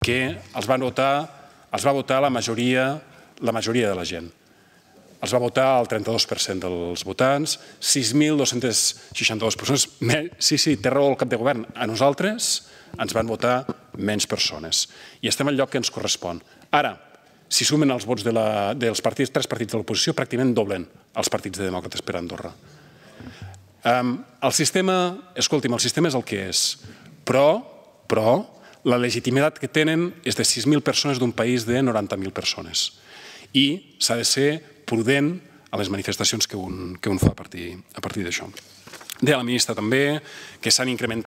que els va votar la majoria de la gent. Els va votar el 32% dels votants, 6.262 persones. Sí, té raó el cap de govern. A nosaltres ens van votar menys persones. I estem al lloc que ens correspon. Ara, si sumen els vots dels tres partits de l'oposició, pràcticament doblen els partits de demòcrates per Andorra. El sistema, escolti'm, el sistema és el que és, però la legitimitat que tenen és de 6.000 persones d'un país de 90.000 persones. I s'ha de ser prudent a les manifestacions que un fa a partir d'això. Deia la ministra també que s'han incrementat